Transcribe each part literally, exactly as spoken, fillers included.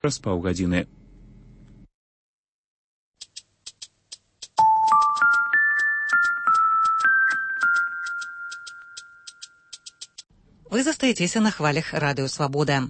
Праз паўгадзіны. Вы застаецеся на хвалях Радыё Свабода.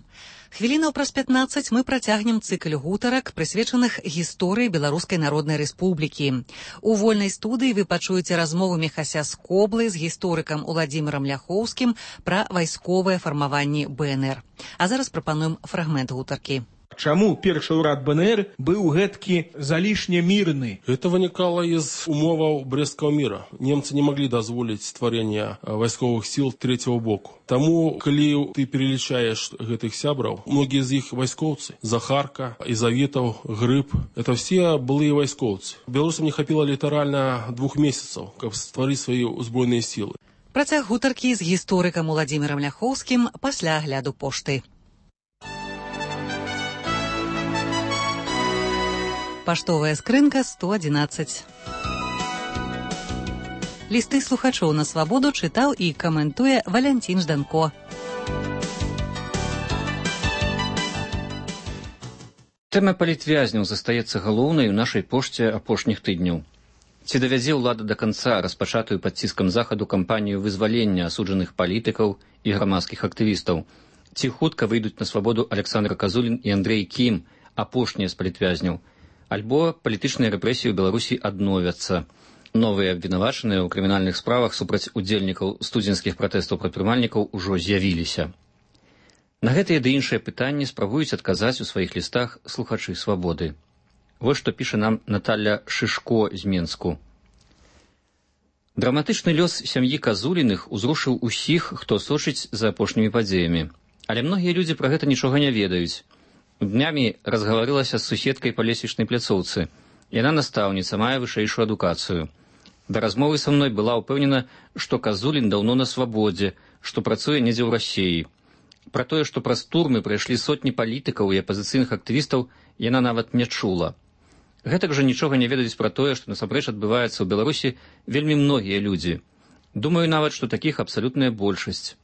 Хвілінаў праз пятнаццаць мы працягнем цыкл гутарак, прысвечаных гісторыі Беларускай Народнай Рэспублікі. У вольнай студыі вы пачуеце размову Міхася Скоблы з гісторыкам Уладзімірам Ляхоўскім пра вайсковыя фармаванні бэ эн эр. А зараз прапануем фрагмент гутаркі. Чаму першы ўрад бэ эн эр быў гэткі залішне мірны? Это вынікала из умоваў Брестского мира. Немцы не могли дазволіць стварэння вайсковых сил третьего боку. Таму, калі ты перелічаеш гэтых сябраў, многія з іх вайскоўцы. Захарка, Изаветаў, Грыб – это все былыя вайскоўцы. Беларусам не хапіла літаральна двух месяцаў, каб стварыць свае ўзброеныя сілы. Працяг гутаркі з гісторыкам Уладзімірам Ляхоўскім пасля агляду пошты. Паштовая скрынка сто адзінаццаць. Лісты слухачоў на свабоду чытаў і каментуе Валянцін Жданко. Тэма палітвязняў застаецца галоўнай у нашай пошце апошніх тыдняў. Ці давядзе ўлада да канца распачатую пад ціскам захаду кампанію вызвалення асуджаных палітыкаў і грамадскіх актывістаў? Ці хутка выйдуць на свабоду Александр Казулін і Андрэй Кім, апошнія з палітвязняў? Альбо палітычныя рэпрэсіі ў Беларусі адновяцца. Новыя абвінавачаныя ў крымінальных справах супраць удзельнікаў студзенскіх пратэстаў прадпрымальнікаў ужо з'явіліся. На гэтыя ды іншыя пытанні спрабуюць адказаць у сваіх лістах слухачы свабоды. Вось што піша нам Наталля Шышко з Менску. Драматычны лёс сям'і Казуліных узрушыў усіх, хто сочыць за апошнімі падзеямі. Але многія людзі пра гэта нічога не ведаюць. Днямі разгаварылася з суседкай па лесвічнай пляцоўцы. Яна настаўніца, мае вышэйшую адукацыю. Да размовы са мной была ўпэўнена, што Казулін даўно на свабодзе, што працуе недзе ў Расіі. Пра тое, што праз турмы прайшлі сотні палітыкаў і апазіцыйных актывістаў, яна нават не чула. Гэтак жа нічога не ведаюць пра тое, што насамрэч адбываецца ў Беларусі вельмі многія людзі. Думаю нават, што такіх абсалютная большасць.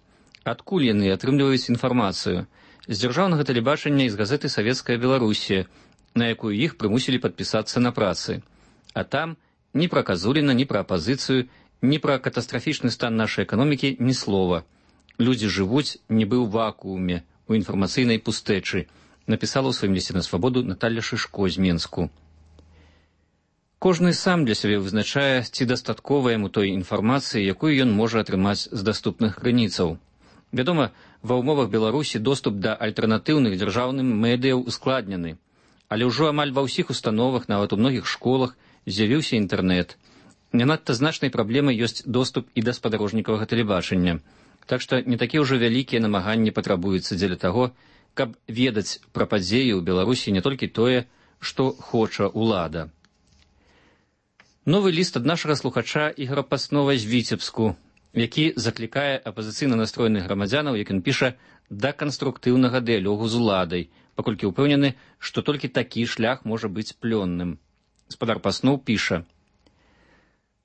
Адкуль яны атрымліваюць інфармацыю? З дзяржаўнага тэлебачання і з газеты «Савецкая Беларусія», на якую іх прымусілі падпісацца на працы. А там ні пра Казуліна, ні пра апазіцыю, ні пра катастрафічны стан нашай эканомікі ні слова. Людзі жывуць нібы ў вакууме, у інфармацыйнай пустэчы, напісала ў сваім лісце на свабоду Наталля Шышко з Менску. Кожны сам для сябе вызначае, ці дастаткова яму той інфармацыі, якую ён можа атрымаць з даступных крыніцаў. Вядома, ва ўмовах Беларусі доступ да альтэрнатыўных дзяржаўным медыяў ускладнены. Але ўжо амаль ва ўсіх установах, нават у многіх школах, з'явіўся інтэрнэт. Не надта значнай праблемай ёсць доступ і да спадарожнікавага тэлебачання. Так што не такія ўжо вялікія намаганні патрабуюцца дзеля таго, каб ведаць пра падзеі ў Беларусі не толькі тое, што хоча ўлада. Новы ліст ад нашага слухача Ігора Паснова з Віцебску, які заклікае апазіцыйна настроеных грамадзянаў, як ён піша, да канструктыўнага дыялогу з уладай, паколькі ўпэўнены, што толькі такі шлях можа быць плённым. Спадар Паснов піша: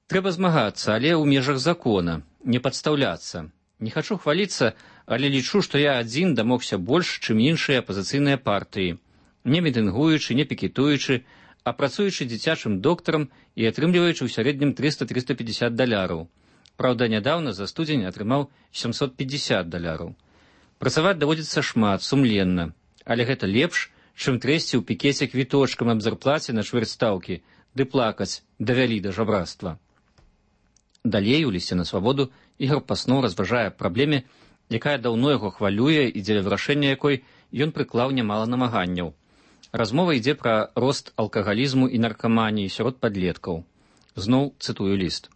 «Трэба змагацца, але ў межах закона, не падстаўляцца. Не хачу хваліцца, але лічу, што я адзін дамогся больш, чым іншыя апазіцыйныя партыі, не мітынгуючы, не пікетуючы, а працуючы дзіцячым доктарам і атрымліваючы ў сярэднім трыста - трыста пятьдесят даляраў. Праўда, нядаўна за студзень атрымаў сямсот пятьдесят даляраў. Працаваць даводзіцца шмат, сумленна, але гэта лепш, чым трэсці ў пікеце квіточкам аб зарплаце на чвэрць стаўкі, ды плакаць давялі да жабрацтва». Далей у лісце на свабоду Ігор Паснов разважае праблеме, якая даўно яго хвалюе і дзеля вырашэння якой ён прыклаў нямала намаганняў. Размова ідзе пра рост алкагалізму і наркаманіі сярод падлеткаў. Зноў цытую ліст.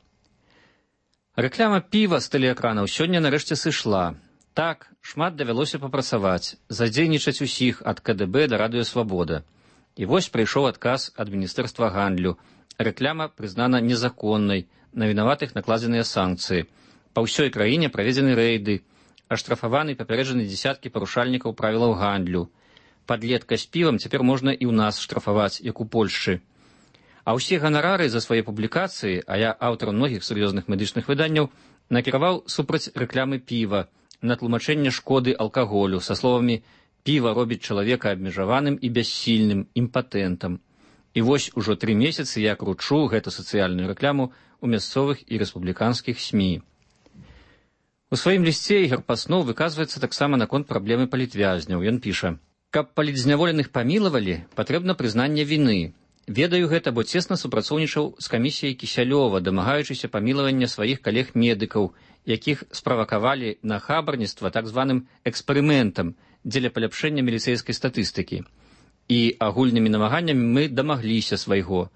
Рэкляма піва з тэлеэкранаў сёння нарэшце сышла. Так, шмат давялося папрацаваць, задзейнічаць усіх ад ка дэ бэ да Радыё Свабода. І вось прыйшоў адказ ад Міністэрства гандлю. Рэкляма прызнана незаконнай, на вінаватых накладзеныя санкцыі. Па ўсёй краіне праведзены рэйды, аштрафаваны і папярэджаны дзесяткі парушальнікаў правілаў гандлю. Падлетка з півам цяпер можна і ў нас штрафаваць, як у Польшчы. А ўсе ганарары за свае публікацыі, а я аўтар многіх сур'ёзных медычных выданняў, накіраваў супраць рэклямы піва, на тлумачэнне шкоды алкаголю са словамі Піва робіць чалавека абмежаваным і бяссільным, імпатэнтам. І вось ужо тры месяцы я кручу гэту сацыяльную рэкламу ў мясцовых і рэспубліканскіх СМІ. У сваім лісце Ігор Паснов выказваецца таксама наконт праблемы палітвязняў. Ён піша: «Каб палітзняволеных памілавалі, патрэбна прызнанне віны. Ведаю гэта, бо цесна супрацоўнічаў з камісіяй Кісялёва, дамагаючыся памілавання сваіх калег-медыкаў, якіх справакавалі на хабарніцтва так званым эксперыментам дзеля паляпшэння міліцэйскай статыстыкі. І агульнымі намаганнямі мы дамагліся свайго.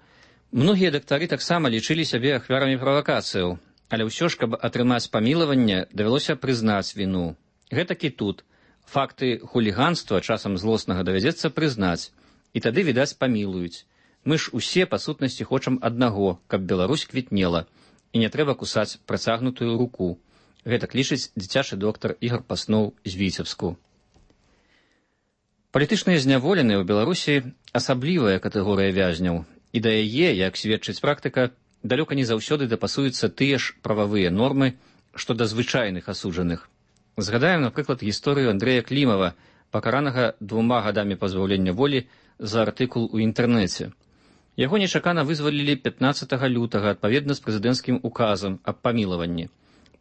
Многія дактары таксама лічылі сябе ахвярамі правакацыяў, але ўсё ж, каб атрымаць памілаванне, давялося прызнаць віну. Гэтак і тут. Факты хуліганства часам злоснага давядзецца прызнаць, і тады, відаць, памілуюць. Мы ж усе, па сутнасці, хочам аднаго, каб Беларусь квітнела, і не трэба кусаць працягнутую руку». Гэтак лічыць дзіцячы доктар Ігор Паснов з Віцебску. Палітычныя зняволеныя ў Беларусі асаблівая катэгорыя вязняў, і да яе, як сведчыць практыка, далёка не заўсёды дапасуюцца тыя ж прававыя нормы, што да звычайных асуджаных. Згадаем, напрыклад, гісторыю Андрэя Клімава, пакаранага двума гадамі пазбаўлення волі за артыкул у інтэрнэце. Яго нечакана вызвалілі пятнаццатага лютага адпаведна з прэзідэнцкім указам аб памілаванні.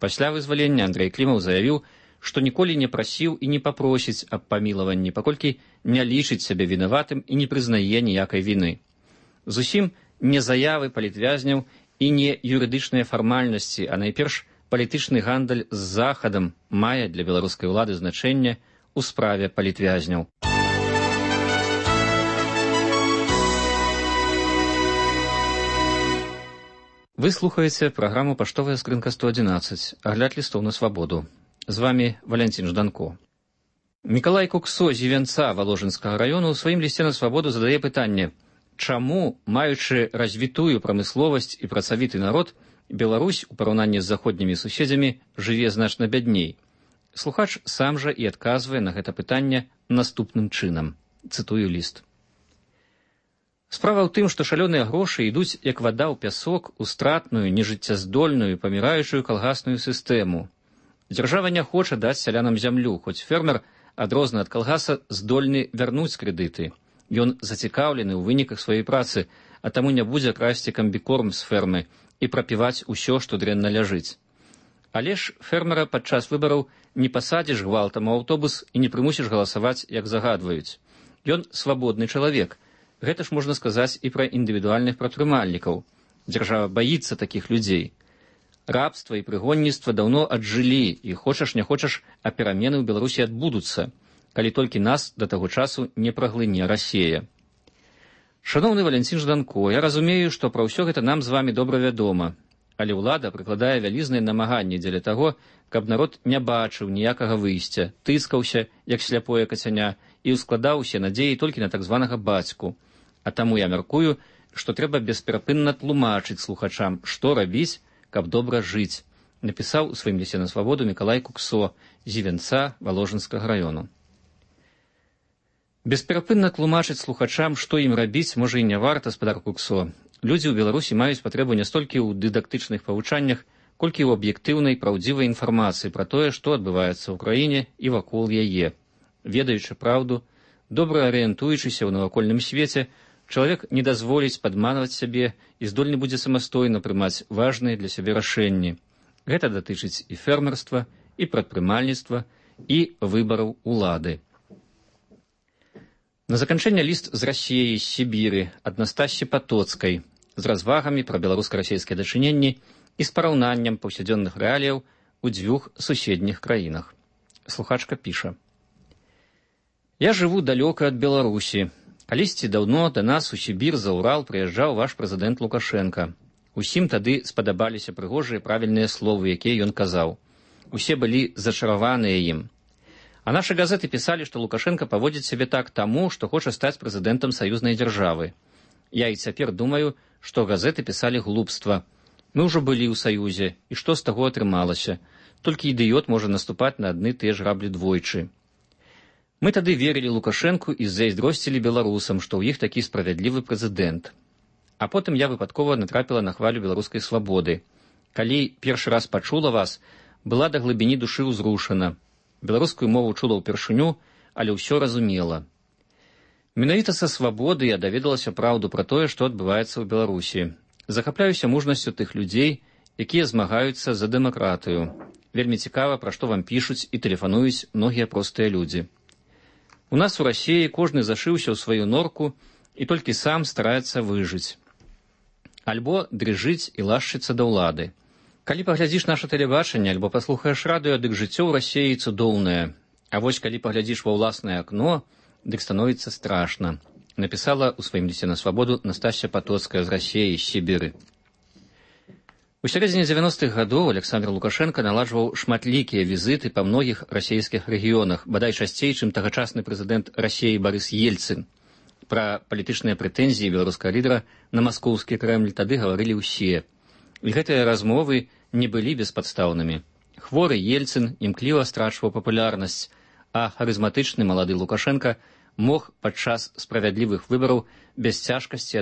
Пасля вызвалення Андрэй Клімаў заявіў, што ніколі не прасіў і не папросіць аб памілаванні, паколькі не лічыць сябе вінаватым і не прызнае ніякай віны. Зусім не заявы палітвязняў і не юрыдычныя фармальнасці, а найперш палітычны гандаль з Захадам мае для беларускай улады значэнне ў справе палітвязняў. Вы слухаеце праграму «Паштовая скрынка сто адзінаццаць», агляд лістоў на свабоду. З вами Валянцін Жданко. Мікалай Куксо з Івянца Валожынскага раёну ў сваім лісце на свабоду задае пытанне: чаму, маючы развітую прамысловасць і працавіты народ, Беларусь у параўнанні з заходнімі суседзямі жыве значна бядней? Слухач сам жа і адказвае на гэта пытанне наступным чынам. Цытую ліст. Справа ў тым, што шалёныя грошы ідуць як вада ў пясок у стратную, нежыццяздольную, паміраючую калгасную сістэму. Дзяржава не хоча даць сялянам зямлю, хоць фермер, адрозна ад калгаса, здольны вярнуць крэдыты. Ён зацікаўлены ў выніках сваёй працы, а таму не будзе красці камбікорм з фермы і прапіваць усё, што дрэнна ляжыць. Але ж фермера падчас выбараў не пасадзіш гвалтам у аўтобус і не прымусіш галасаваць, як загадваюць. Ён свабодны чалавек. Гэта ж можна сказаць і пра індывідуальных прадпрымальнікаў. Дзяржава баіцца такіх людзей. Рабства і прыгонніцтва даўно аджылі, і хочаш не хочаш, а перамены ў Беларусі адбудуцца, калі толькі нас да таго часу не праглыне Расія. Шаноўны Валянцін Жданко, я разумею, што пра ўсё гэта нам з вамі добра вядома, але ўлада прыкладае вялізныя намаганні дзеля таго, каб народ не бачыў ніякага выйсця, тыскаўся, як сляпое кацяня, і ўскладаў усе надзеі толькі на так званага бацьку. А таму я мяркую, што трэба бесперапынна тлумачыць слухачам, што рабіць, каб добра жыць, напісаў у сваім лісце на свабоду Мікалай Куксо з Івянца Валожынскага раёну. Бесперапынна тлумачыць слухачам, што ім рабіць, можа і не варта, спадар Куксо. Людзі ў Беларусі маюць патрэбу не столькі ў дыдактычных павучаннях, колькі ў аб'ектыўнай, праўдзівай інфармацыі пра тое, што адбываецца ў краіне і вакол яе. Ведаючы праўду, добра арыентуючыся ў навакольным свеце, чалавек не дазволіць падманваць сябе і здольны будзе самастойна прымаць важныя для сябе рашэнні. Гэта датычыць і фермерства, і прадпрымальніцтва, і выбараў улады. На заканчэнне ліст з Расіі, з Сібіры, ад Настасі Патоцкай, з развагамі пра беларуска-расейскія дачыненні і з параўнаннем паўсядзённых рэаліяў у дзвюх суседніх краінах. Слухачка піша: «Я жыву далёка ад Беларусі. Калісьці даўно да нас у Сібір за Урал прыязджаў ваш прэзідэнт Лукашенка. Усім тады спадабаліся прыгожыя правільныя словы, якія ён казаў. Усе былі зачараваныя ім. А нашы газеты пісалі, што Лукашенка паводзіць сябе так таму, што хоча стаць прэзідэнтам саюзнай дзяржавы. Я і цяпер думаю, што газеты пісалі глупства. Мы ўжо былі ў саюзе, і што з таго атрымалася? Толькі ідыёт можа наступаць на адны тыя ж граблі двойчы. Мы тады верылі Лукашэнку і зайздросцілі беларусам, што ў іх такі справядлівы прэзідэнт. А потым я выпадкова натрапіла на хвалю беларускай свабоды. Калі першы раз пачула вас, была да глыбіні душы ўзрушана. Беларускую мову чула ўпершыню, але ўсё разумела. Менавіта са свабоды я даведалася праўду пра тое, што адбываецца ў Беларусі. Захапляюся мужнасцю тых людзей, якія змагаюцца за дэмакратыю. Вельмі цікава, пра што вам пішуць і тэлефануюць многія простыя людзі. У нас у Расіі кожны зашыўся ў сваю норку і толькі сам стараецца выжыць. Альбо дрыжыць і лашчыцца да ўлады. Калі паглядзіш наша тэлебачанне альбо паслухаеш радыё, дык жыццё ў Расіі цудоўнае. А вось калі паглядзіш ва ўласнае акно, дык становіцца страшна, напісала ў сваім лісце на свабоду Настасья Патоцкая з Расіі, з Сібіры. У сярэдзіне дзевяностых гадоў Александр Лукашенко наладжваў шматлікія візіты па многіх расійскіх рэгіёнах, бадай часцей, чым тагачасны прэзідэнт Расіі Барыс Ельцын. Пра палітычныя прэтэнзіі беларускага лідара на маскоўскі Крэмль тады гаварылі ўсе. І гэтыя размовы не былі беспадстаўнымі. Хворы Ельцын імкліва страчваў папулярнасць, а харызматычны малады Лукашенко мог падчас справядлівых выбараў без цяжкасці